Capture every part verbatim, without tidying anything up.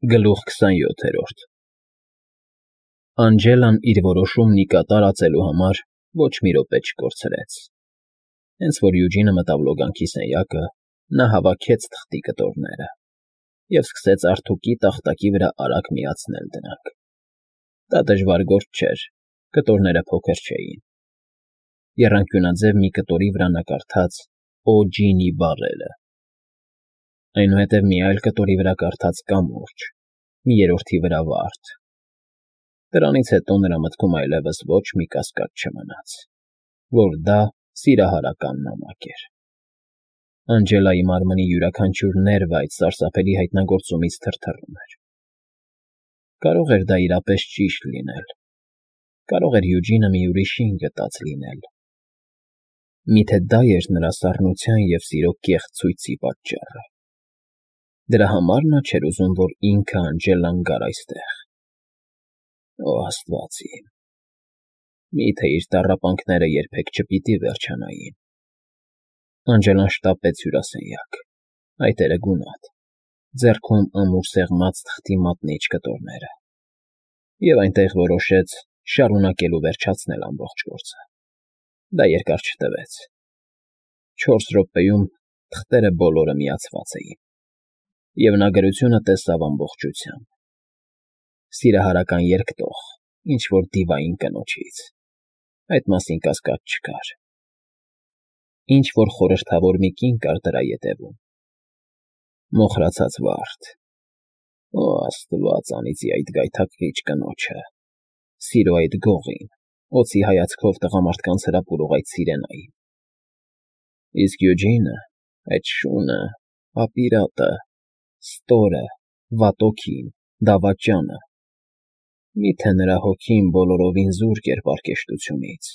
Գլուխ քսանյոթերորդ Անջելան իր որոշումն ի կատար ածելու համար ոչ մի րոպե չկորցրեց. հենց որ Յուջինը մտավ լոգանքի սենյակը, նա հավաքեց թղթի կտորները և սկսեց արթուկի տախտակի վրա արագ միացնել դրանք. դա դժվար գործ չէր, կտորները փոքր չէին. եռանկյունաձև մի կտորի վրա նկարդաց Օ.Ջ.Ն.Ի բառերը, այնուհետև մի այլ կտորի վրա կարդաց կամուրջ, մի երրորդի վրա վարդ. դրանից հետո նրա մտքում այլևս ոչ մի կասկած չմնաց, որ դա սիրահարական նամակ էր. Անջելայի մարմնի յուրաքանչյուր ներվը այդ սարսափելի հայտնագործումից թրթռում էր. կարող էր դա իրապես ճիշտ լինել, կարող էր Յուջինը մի ուրիշին գտած լինել, միթե դա էր նրա սառնության և սիրո կեղծ ցույցի պատճառը, դրա համար նա չէր ուզում, որ ինքը Անջելան գար այստեղ. Օ աստված իմ, մի՞թե իր տառապանքները երբեք չպիտի վերջանային… Անջելան շտապեց հյուրասենյակ, այտերը գունատ, ձեռքում ամուր սեղմած թղթի մատնիչ կտորները, և այնտեղ որոշեց շարունակել ու վերջացնել ամբողջ գործը… Դա երկար չտևեց. չորս րոպեում թղթերը բոլորը միացված էին, և նա գրությունը տեսավ ամբողջությամբ. սիրահարական երկտող ինչ֊որ դիվային կնոջից, այդ մասին կասկած չկար, ինչ֊որ խորհրդավոր մի կին կար դրա ետևում, մոխրացած վարդ… Օ աստված անիծի այդ գայթակղիչ կնոջը, սիրո այդ գողին, օձի հայացքով տղամարդկանց հրապուրող այդ սիրենային… Իսկ Յուջինը, այդ շունը, ապիրատը, ստորը, վատօգին, դավաճանը… Մի՞թե նրա հոգին բոլորովին զուրկ էր պարկեշտությունից,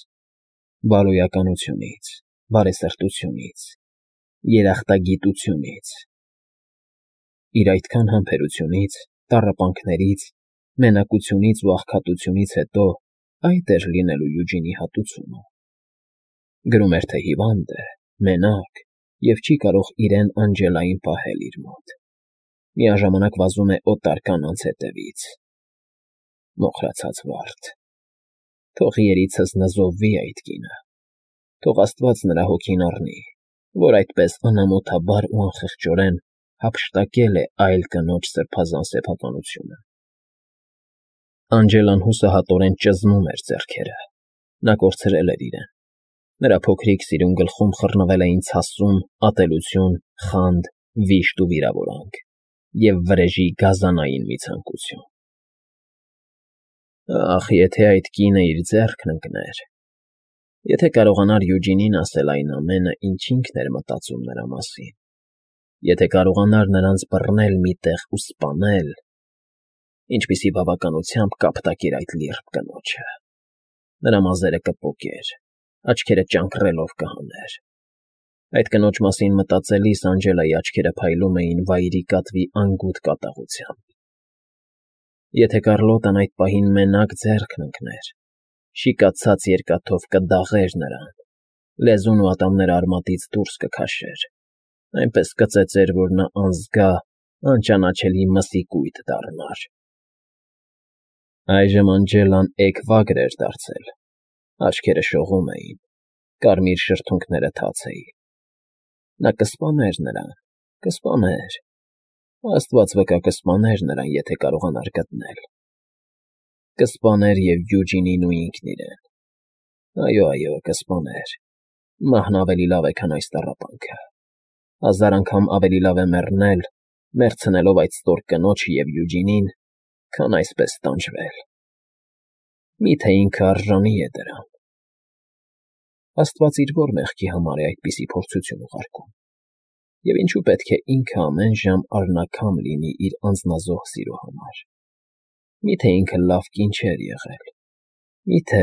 բարոյականությունից, բարեսրտությունից, երախտագիտությունից… Իր այդքան համբերությունից, տառապանքներից, մենակությունից ու աղքատությունից հետո այդ էր լինելու Յուջինի հատուցումը… Գրում էր, թե հիվանդ է, մենակ և չի կարող իրեն Անջելային պահել իր մոտ, միաժամանակ վազում է օտար կանանց հետևից… Մոխրացած վարդ… Թող երիցս նզովվի այդ կինը, թող աստված նրա հոգին առնի, որ այդպես անամոթաբար ու անխղճորեն հափշտակել է այլ կնոջ սրբազան սեփականությունը… Անջելան հուսահատորեն ճզմում էր ձեռքերը, նա կորցրել էր իրեն, նրա փոքրիկ սիրուն գլխում խռնվել էին ցասում, ատելություն, խանդ, վիշտ ու վիրավորանք և վրեժի գազանային մի ցանկություն… Ախ, եթե այդ կինը իր ձեռքն ընկներ, եթե կարողանար Յուջինին ասել այն ամենը, ինչ ինքն էր մտածում նրա մասին, եթե կարողանար նրանց բռնել մի տեղ ու սպանել… Ինչպիսի բավականությամբ կապտակեր այդ լիրբ կնոջը… Նրա մազերը կպոկեր, աչքերը ճանկռելով կհաներ… Այդ կնոջ մասին մտածելիս Անջելայի աչքերը փայլում էին վայրի կատվի անգութ կատաղությամբ… Եթե Կառլոտան այդ պահին մենակ ձեռքն ընկներ, շիկացած երկաթով կդաղեր նրան, լեզուն ու ատամները արմատից դուրս կքաշեր, այնպես կծեծեր, որ նա անզգա, անճանաչելի մսի կույտ դառնար… Այժմ Անջելան էգվագր էր դարձել, աչքերը շողում էին, կարմիր շրթունքները թաց էին… Նա կսպաներ նրան, կսպաներ… Աստված վկա կսպաներ նրան, եթե կարողանար գտնել… Կսպաներ և Յուջինին ու ինքն իրեն… Այո, այո, կսպաներ… Մահն ավելի լավ է, քան այս տառապանքը… Հազար անգամ ավելի լավ է մեռնել, մեռցնելով այդ ստոր կնոջը և Յուջինին, քան այսպես տանջվել… Մի՞թե ինքը արժանի է դրան… Աստված իր ո՞ր մեղքի համար է այդպիսի փորձություն ուղարկում… Եվ ինչո՞ւ պետք է ինքը ամեն ժամ արնաքամ լինի իր անձնազոհ սիրո համար… Մի՞թե ինքը լավ կին չէր եղել… Մի՞թե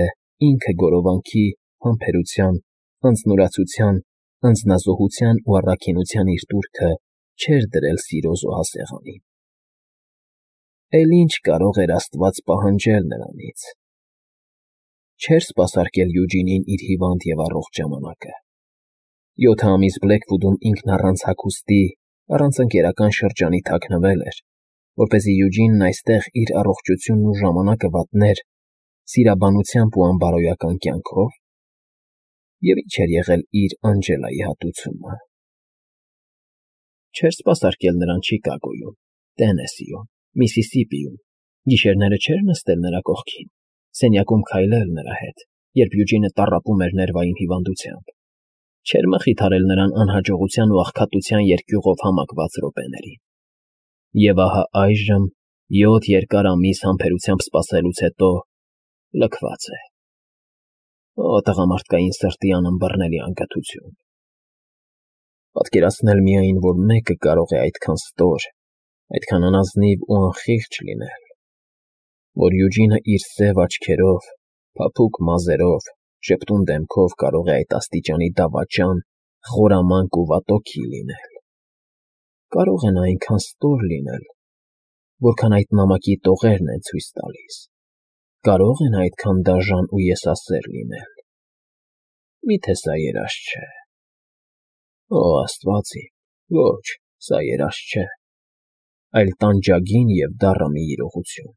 ինքը գորովանքի, համբերության, անձնուրացության, անձնազոհության ու առաքինության իր տուրքը չէր դրել սիրո զոհասեղանին… Էլ ի՞նչ կարող էր աստված պահանջել նրանից… Չէր սպասարկել Յուջինին իր հիվանդ և առողջ ժամանակը… Յոթ ամիս Բլեքվուդում ինքն առանց հագուստի, առանց ընկերական շրջանի թաքնվել էր, որպեսզի Յուջինն այստեղ իր առողջությունն ու ժամանակը վատներ սիրաբանությամբ ու անբարոյական կյանքով, և ինչ էր եղել իր Անջելայի հատուցումը։ Չէր սպասարկել նրան Չիկագոյում, Տենեսիում, Միսիսիպիում, գիշերները չէր նստել նրա կողքին, սենյակում քայլել նրա հետ, երբ Յուջինը տառապում էր ներվային հիվանդությամբ, չէր մխիթարել նրան անհաջողության ու աղքատության երկյուղով համակված րոպեներին։ Եվ ահա այժմ, յոթ երկար ամիս համբերությամբ սպասելուց հետո, լքված է։ Օ, տղամարդկային սրտի անըմբռնելի անկಥություն։ Պատկերացնել միայն, որ մեկը կարող է այդքան ստոր, այդքան անազնիվ ու անխիղճ լինել, որ Յուջինը իր սև աչքերով, փափուկ մազերով, ժպտուն դեմքով կարող է այդ աստիճանի դավաճան, խորամանկ ու վատօքի լինել։ Կարող է նա այնքան ստոր լինել, որքան այդ նամակի տողերն են ցույց տալիս։ Կարող է նա այդքան դաժան ու եսասեր լինել։ Մի՞թե սա երազ չէ։ Օ, Աստված իմ, ոչ, սա երազ չէ, այլ տանջագին և դառը մի իրողություն,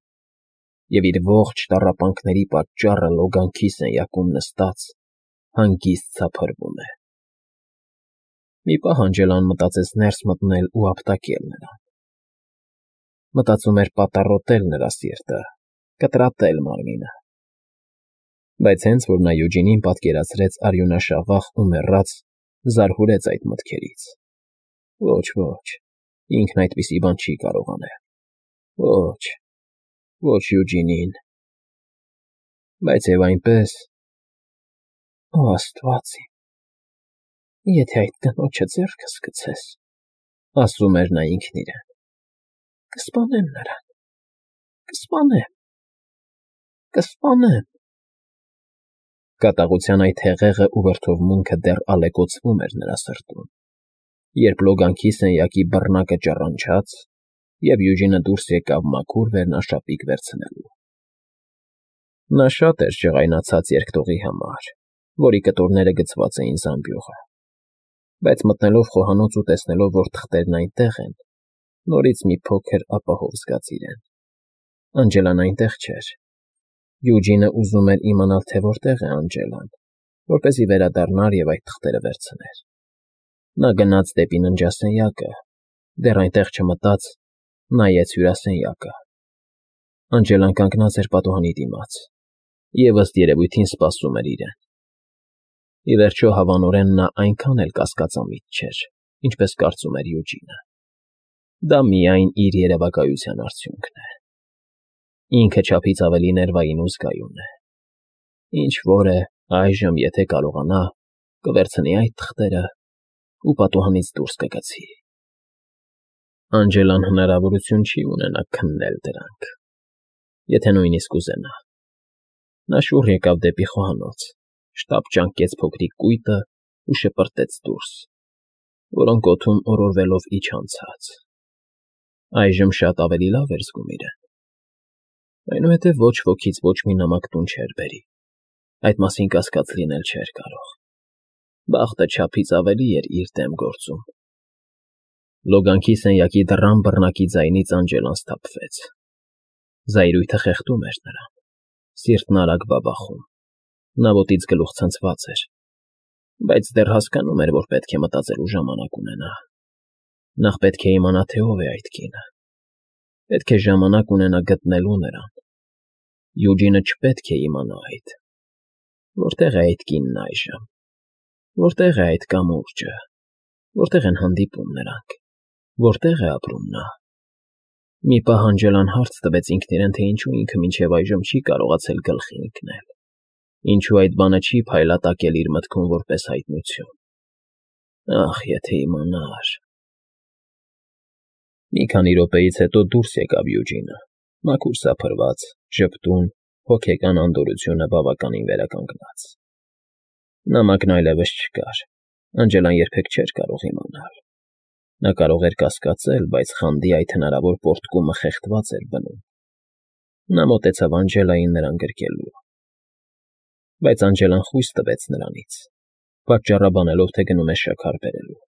և իր ողջ տառապանքների պատճառը լոգանքի սենյակում նստած հանգիստ ցափրվում է։ Մի պահ Անջելան մտածեց ներս մտնել ու ապտակել նրան։ Մտածում էր պատառոտել նրա սիրտը, կտրատել մարմինը։ Բայց հենց որ նա Յուջինին պատկերացրեց արյունաշաղախ ու մեռած, զարհուրեց այդ մտքերից։ Ոչ, ոչ, ինքն այդպիսի բան չի կարող անել։ Ոչ, ոչ Յուջինին։ Բայց և այնպես… Օ, Աստված իմ, եթե այդ կնոջը ձեռքս գցես, ասում էր նա ինքն իրեն, կսպանեմ նրան, կսպանեմ, կսպանեմ… Կատաղության այդ հեղեղը ու վրդովմունքը դեռ ալեկոծվում էր նրա սրտում, երբ լոգանքի սենյակի բռնակը ճռնչաց, և Յուջինը դուրս եկավ մաքուր վերնաշապիկ վերցնելու։ Նա շատ էր ջղայնացած երկտողի համար, որի կտորները գցված էին զամբյուղը, բայց մտնելով խոհանոց ու տեսնելով, որ թղթերն այնտեղ են, նորից մի փոքր ապահով զգաց իրեն։ Անջելան այնտեղ չէր։ Յուջինը ուզում էր իմանալ, թե որտեղ է Անջելան, որպեսզի վերադառնար և այդ թղթերը վերցներ։ Նա գնաց դեպի ննջասենյակը, դեռ այնտեղ չմտած, նայեց հյուրասենյակը։ Անջելան կանգնած էր պատուհանի դիմաց և, ըստ երևույթին, սպասում էր իրեն։ Ի վերջո, հավանորեն, նա այնքան էլ կասկածամիտ չէր, ինչպես կարծում էր Յուջինը։ Դա միայն իր երևակայության արդյունքն է։ Ինքը չափից ավելի ներվային ու զգայուն է։ Ինչ֊որ է, այժմ, եթե կարողանա, կվերցնի այդ թղթերը ու պատուհանից դուրս կգցի։ Անջելան հնարավորություն չի ունենա քննել դրանք, եթե նույնիսկ ուզենա։ Նա շուռ եկավ դեպի խոհանոց, շտապ ճանկեց փոքրիկ կույտը ու շպրտեց դուրս, որոնք օդում օրորվելով իջան ցած։ Այժմ շատ ավելի լավ էր զգում իրեն։ Այնուհետև ոչ ոքից ոչ մի նամակ տուն չէր բերի, այդ մասին կասկած լինել չէր կարող։ Բախտը չափից ավելի էր իր դեմ գործում։ Լոգանքի սենյակի դռան բռնակի ձայնից Անջելան սթափվեց։ Զայրույթը խեղդում էր նրան, սիրտն արագ բաբախում, նա ոտից գլուխ ցնցված էր, բայց դեռ հասկանում էր, որ պետք է մտածելու ժամանակ ունենա։ Նախ պետք է իմանա, թե ով է այդ կինը։ Պետք է ժամանակ ունենա գտնելու նրան։ Յուջինը չպետք է իմանա այդ։ Որտե՞ղ է այդ կինն այժմ։ Որտե՞ղ է այդ կամուրջը։ Որտե՞ղ են հանդիպում նրանք։ Որտե՞ղ է ապրում նա։ Մի պահ Անջելան հարց տվեց ինքն իրեն, թե ինչու ինքը մինչև այժմ չի կարողացել գլխի ընկնել, ինչու այդ բանը չի փայլատակել իր մտքում որպես հայտնություն։ Ախ, եթե իմանար… Մի քանի րոպեից հետո դուրս եկավ Յուջինը, մաքուր սափրված, ժպտուն, հոգեկան անդորրությունը բավականին վերականգնած։ Նամակն այլևս չկար, Անջելան երբեք չէր կարող իմանալ։ Նա կարող էր կասկածել, բայց խանդի այդ հնարավոր պոռթկումը խեղդված էր բնում։ Նա մոտեցավ Անջելային նրան գրկելու։ Բայց Անջելան խույս տվեց նրանից, պատճառաբանելով, թե գնում է շաքար բերելու։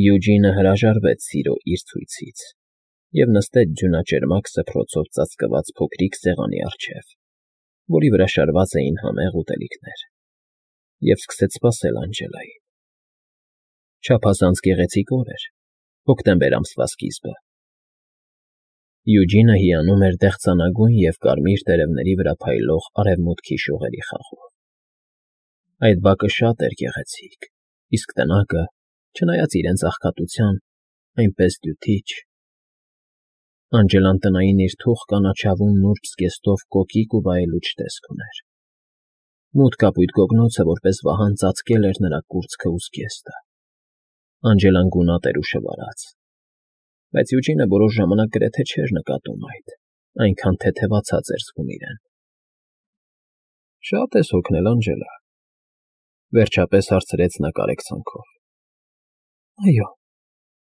Յուջինը հրաժարվեց սիրո իր ցույցից և նստեց ձյունաճերմակ սփռոցով ծածկված փոքրիկ սեղանի առջև, որի վրա շարված էին համեղ ուտելիքներ, և սկսեց սպասել Անջելային։ Չափազանց գեղեցիկ օր էր, հոկտեմբեր ամսվա սկիզբը։ Յուջինը հիանում էր դեղցանագույն և կարմիր տերևների վրա փայլող արևմուտքի շողերի խաղով։ Այդ բակը շատ էր գեղեցիկ, իսկ տնակը, չնայած իրեն աղքատության, այնպես դյութիչ։ Անջելան տնային իր թուխ կանաչավուն նուրբ զգեստով կոկիկ ու վայելուչ տեսք ուներ։ Մութ կապույտ գոգնոցը որպես վահան ծածկել էր նրա կուրծքն ու զգեստը։ Անջելան գունատ էր ու շվարած, բայց Յուջինը որոշ ժամանակ գրեթե չէր նկատում այդ, այնքան թեթևացած էր զգում իրեն։ Շատ ես հոգնել, Անջելա, վերջապես հարցրեց նա կարեկցանքով։ Այո,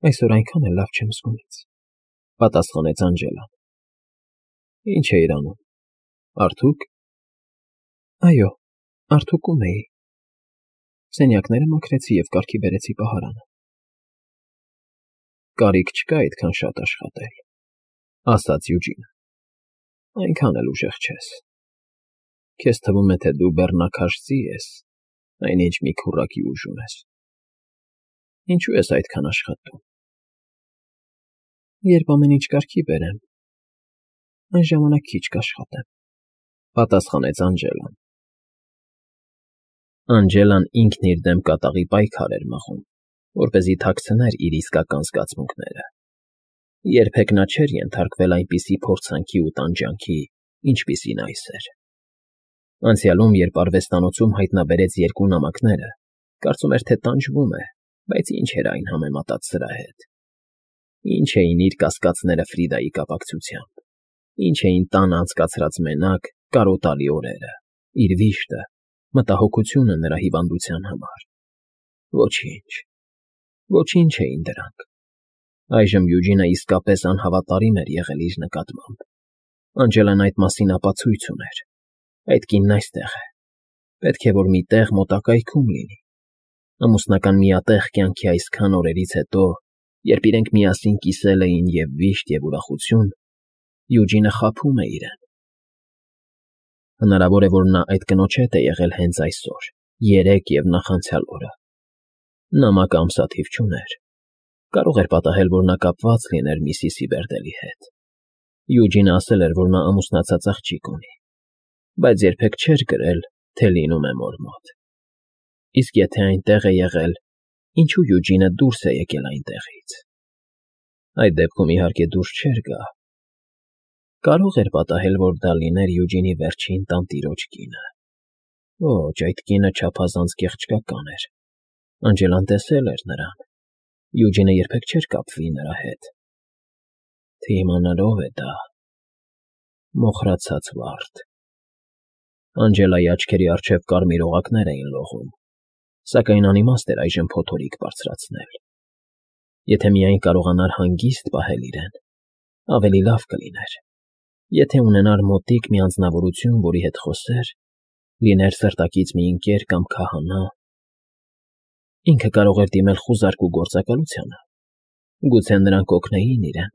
այսօր այնքան էլ լավ չեմ զգում ինձ, պատասխանեց Անջելան։ Ինչ էիր անում, արթո՞ւք։ Այո, արթուկում էի։ Սենյակները մաքրեցի և կարգի բերեցի պահարանը։ Կարիք չկա այդքան շատ աշխատել, ասաց Յուջինը։ Այնքան էլ ուժեղ չես։ Քեզ թվում է, թե դու բեռնակաշծի ես, այնինչ մի քուռակի ուժ ունես։ Ինչու ես այդքան աշխատում։ Երբ ամեն ինչ կարգի բերեմ, այն ժամանակ քիչ կաշխատեմ, պատասխանեց Անջելան։ Անջելան ինքն իր դեմ կատաղի պայքար էր մղում, որպեսզի թաքցներ իր իսկական զգացմունքները։ Երբեք նա չէր ենթարկվել այնպիսի փորձանքի ու տանջանքի, ինչպիսին այս էր։ Անցյալում, երբ արվեստանոցում հայտնաբերեց երկու նամակները, կարծում էր, թե տանջվում է, բայց ինչ էր այն համեմատած սրա հետ։ Ինչ էին իր կասկածները Ֆրիդայի կապակցությամբ, ինչ էին տանը անցկացրած մենակ, կարոտալի օրերը, իր վիշտը, մտահոգությունը նրա հիվանդության համար։ Ոչինչ, ոչինչ էին դրանք։ Այժմ Յուջինը իսկապես անհավատարիմ էր եղել իր նկատմամբ։ Անջելան այդ մասին ապացույց ուներ։ Այդ կինն այստեղ է։ Պետք է, որ մի տեղ մոտակայքում լինի։ Ամուսնական միատեղ կյանքի այսքան օրերից հետո, երբ իրենք միասին կիսել էին և վիշտ, և ուրախություն, Յուջինը խաբում է իրեն։ Հնարավոր է, որ նա այդ կնոջ հետ է եղել հենց այսօր, երեկ և նախանցյալ օրը։ Նամակը ամսաթիվ չուներ։ Կարող էր պատահել, որ նա կապված լիներ միսիսի Բերդելի հետ։ Յուջինը ասել էր, որ նա ամուսնացած աղջիկ ունի, բայց երբեք չէր գրել, թե լինում է մոր մոտ։ Իսկ եթե այնտեղ է եղել, ինչու Յուջինը դուրս է եկել այնտեղից։ Այդ դեպքում, իհարկե, դուրս չէր գա։ Կարող էր պատահել, որ դա լիներ Յուջինի վերջին տանտիրոջ կինը։ Ոչ, այդ կինը չափազանց գեղեցկական էր։ Անջելան տեսել էր նրան։ Յուջինը երբեք չէր կապվի նրա հետ։ Թե իմանար ով է դա։ Մոխրացած վարդ։ Անջելայի աչքերի առջև կարմիր օղակներ էին լողում, սակայն անիմաստ էր այժմ փոթորիկ բարձրացնել։ Եթե միայն կարողանար հանգիստ պահել իրեն, ավելի լավ կլիներ։ Եթե ունենար մոտիկ մի անձնավորություն, որի հետ խոսեր, լիներ սրտակից մի ընկեր կամ քահանա, ինքը կարող էր դիմել խուզարկու գործակալությանը։ Գուցե նրանք օգնեին իրեն։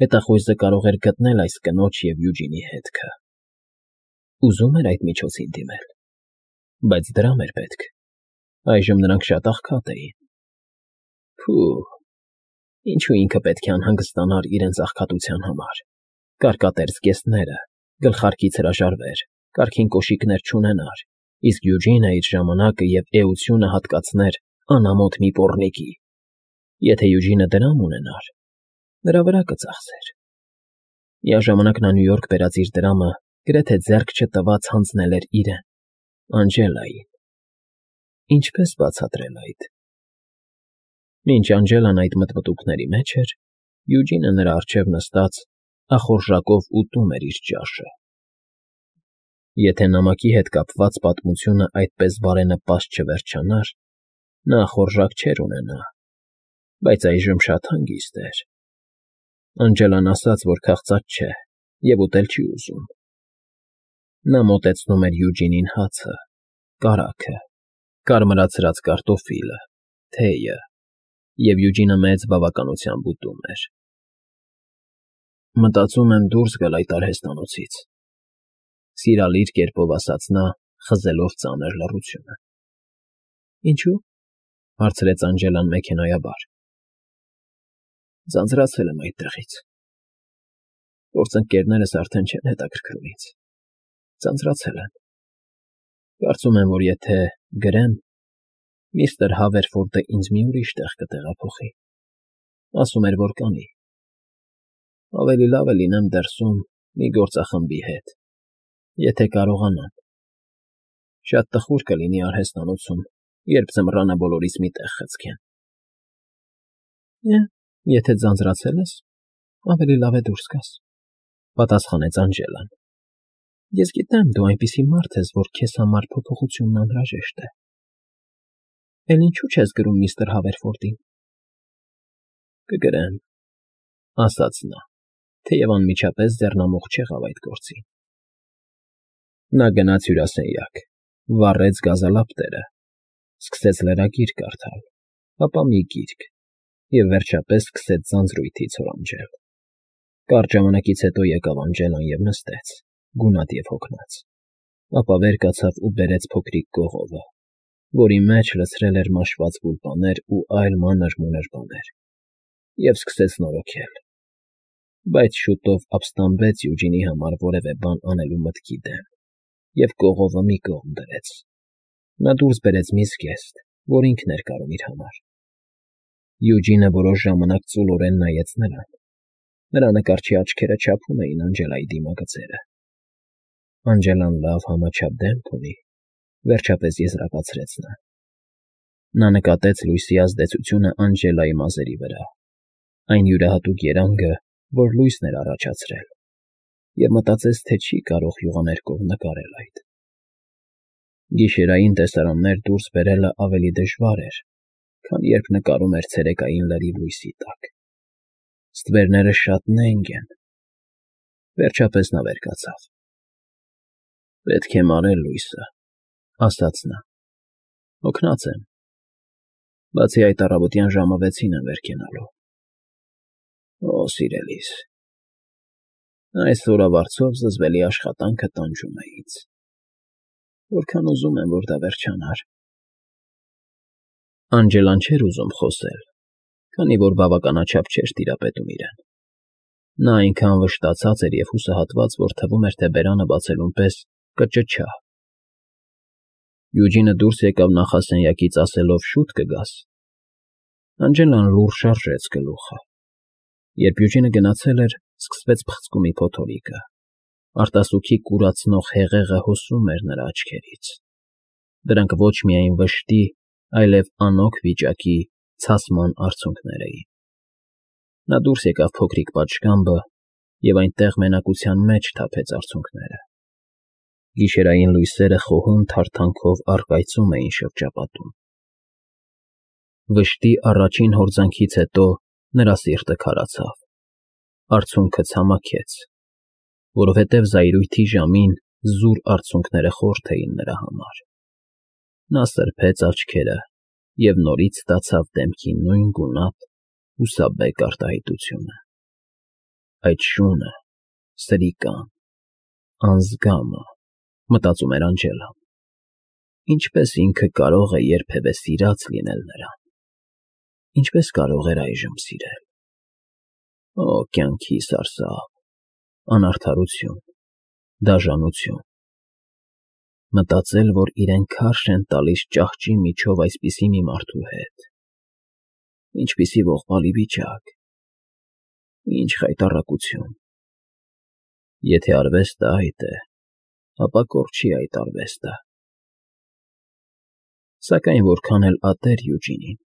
Հետախույզը կարող էր գտնել այս կնոջ և Յուջինի հետքը։ Ուզում էր այդ միջոցին դիմել, բայց դրամ էր պետք։ Այժմ նրանք շատ աղքատ էին։ Փու, ինչու ինքը պետք է անհանգստանար իրենց աղքատության համար։ Կարկատեր զգեստները, գլխարկից հրաժարվեր, կարգին կոշիկներ չունենար, իսկ Յուջինը իր ժամանակը և էությունը հատկացներ անամոթ մի պոռնիկի։ Եթե Յուջինը դրամ ունենար, նրա վրա կծախսեր։ Միաժամանակ նա Նյու Յորք բերած իր դրամը գրեթե ձեռք չտված հանձնել էր իրեն, Անջելային։ Ինչպես բացատրել այդ։ Մինչ Անջելան այդ մտմտուքների մեջ էր, Յուջինը նրա առջև նստած ախորժակով ուտում էր իր ճաշը։ Եթե նամակի հետ կապված պատմությունը այդպես բարենպաստ չվերջանար, նա ախորժակ չէր ունենա, բայց այժմ շատ հանգիստ էր։ Անջելան ասաց, որ քաղցած չէ և ուտել չի ուզում։ Նա մոտեցնում էր Յուջինին հացը, կարագը, կարմրացրած կարտոֆիլը, թեյը, և Յուջինը մեծ բավականությամբ ուտում էր։ Մտածում եմ դուրս գալ այդ արհեստանոցից,֊ սիրալիր կերպով ասաց նա, խզելով ծանր լռությունը։ Ինչո՞ւ,֊ հարցրեց Անջելան մեքենայաբար։ Ձանձրացել եմ այդտեղից։ Գործընկերներս արդեն չեն հետաքրքրում ինձ, ձանձրացել եմ։ Կարծում եմ, որ եթե գրեմ, միստր Հավերֆորդը ինձ մի ուրիշ տեղ կտեղափոխի, ասում էր, որ կանի։ Ավելի լավ է լինեմ դրսում մի գործախմբի հետ, եթե կարողանամ։ Շատ տխուր կլինի արհեստանոցում, երբ ձմռանը բոլորից մի տեղ խցկեն։ Եթե ձանձրացել ես, ավելի լավ է դուրս գաս,֊ պատասխանեց Անջելան։ Ես գիտեմ, դու այնպիսի մարդ ես, որ քեզ համար փոփոխությունն անհրաժեշտ է։ Էլ ինչու՞ չես գրում միստր Հավերֆորդին։ Կգրեմ,֊ ասաց նա, թեև անմիջապես ձեռնամուխ չեղավ այդ գործին։ Նա գնաց հյուրասենյակ, վառեց գազալապտերը, սկսեց լրագիր կարդալ, ապա մի գիրք և, վերջապես, սկսեց ձանձրույթից հորանջել։ Կարճ ժամանակից հետո եկավ Անջելան և նստեց, գունատ և հոգնած, ապա վեր կացավ ու բերեց փոքրիկ կողովը, որի մեջ լցրել էր մաշված գուլպաներ ու այլ մանր֊մունր բաներ, և սկսեց նորոգել։ Բայց շուտով ապստամբեց Յուջինի համար որևէ բան անելու մտքի դեմ և կողովը մի կողմ դրեց։ Նա դուրս բերեց մի զգեստ, որ ինքն էր կարում իր համար։ Յուջինը որոշ ժամանակ ծուլորեն նայեց նրան։ Նրա նկարչի աչքերը չափում էին Անջելայի դիմագծերը։ Անջելան լավ համաչափ դեմք ունի,֊ վերջապես եզրակացրեց նա։ Նա նկատեց լույսի ազդեցությունը Անջելայի մազերի վրա, այն յուրահատուկ երանգը, որ լույսն էր առաջացրել, և մտածեց, թե չի կարող յուղաներկով նկարել այդ։ Գիշերային տեսարաններ դուրս բերելը ավելի դժվար էր, քան երբ նկարում էր ցերեկային լրիվ լույսի տակ։ Ստվերները շատ նենգ են։ Վերջապես նա վեր կացավ։ Պետք է մարել լույսը,֊ ասաց նա։ Հոգնած եմ։ Բացի այդ, առավոտյան ժամը վեցին եմ վեր կենալու։ Օ, սիրելիս, այս օրավարձով զզվելի աշխատանքը տանջում է ինձ։ Որքան ուզում եմ, որ դա վերջանար։ Անջելան չէր ուզում խոսել, քանի որ բավականաչափ չէր տիրապետում իրեն։ Նա այնքան վշտացած էր և հուսահատված, որ թվում էր, թե բերանը բացելուն պես կճչա։ Յուջինը դուրս եկավ նախասենյակից, ասելով. «Շուտ կգաս»։ Անջելան լուռ շարժեց գլուխը։ Երբ Յուջինը գնացել էր, սկսվեց փխցկումի փոթորիկը։ Արտասուքի կուրացնող հեղեղը հոսում էր նրա աչքերից։ Դրանք ոչ միայն վշտի, այլև անօգ վիճակի, ցասման արցունքներ էին։ Նա դուրս եկավ փոքրիկ պատշգամբը և այնտեղ մենակության մեջ թափեց արցունքները։ Գիշերային լույսերը խոհուն թարթանքով առկայծում էին շրջապատում։ Վշտի առաջին հորձանքից հետո նրա սիրտը քարացավ, արցունքը ցամաքեց, որովհետև զայրույթի ժամին զուր արցունքները խորթ էին նրա համար։ Նա սրբեց աչքերը և նորից ստացավ դեմքի նույն գունատ, հուսաբեկ արտահայտությունը։ Այդ շունը, սրիկան, անզգամը,֊ մտածում էր Անջելան, ինչպես ինքը կարող է երբևէ սիրած լինել նրան, ինչպես կարող էր այժմ սիրել։ Օ, կյանքի սարսափ, անարդարություն, դաժանություն։ Մտածել, որ իրեն քարշ են տալիս ճահճի միջով այսպիսի մի մարդու հետ։ Ինչպիսի ողբալի վիճակ, ինչ խայտառակություն։ Եթե արվեստը այդ է, ապա կորչի այդ արվեստը։ Սակայն որքան էլ ատեր Յուջինին,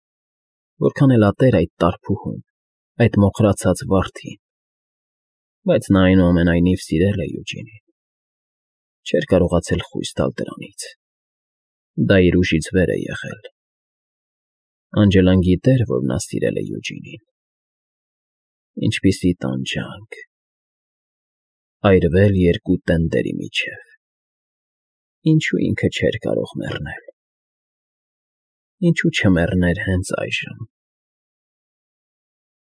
որքան էլ ատեր այդ տարփուհուն, այդ մոխրացած վարդին, բայց նա այնուամենայնիվ սիրել է Յուջինին, չէր կարողացել խույս տալ դրանից։ Դա իր ուժից վեր է եղել։ Անջելան գիտեր, որ նա սիրել է Յուջինին։ Ինչպիսի տանջանք… Այրվել երկու տենդերի միջև… Ինչու ինքը չէր կարող մեռնել։ Ինչու չմեռներ հենց այժմ։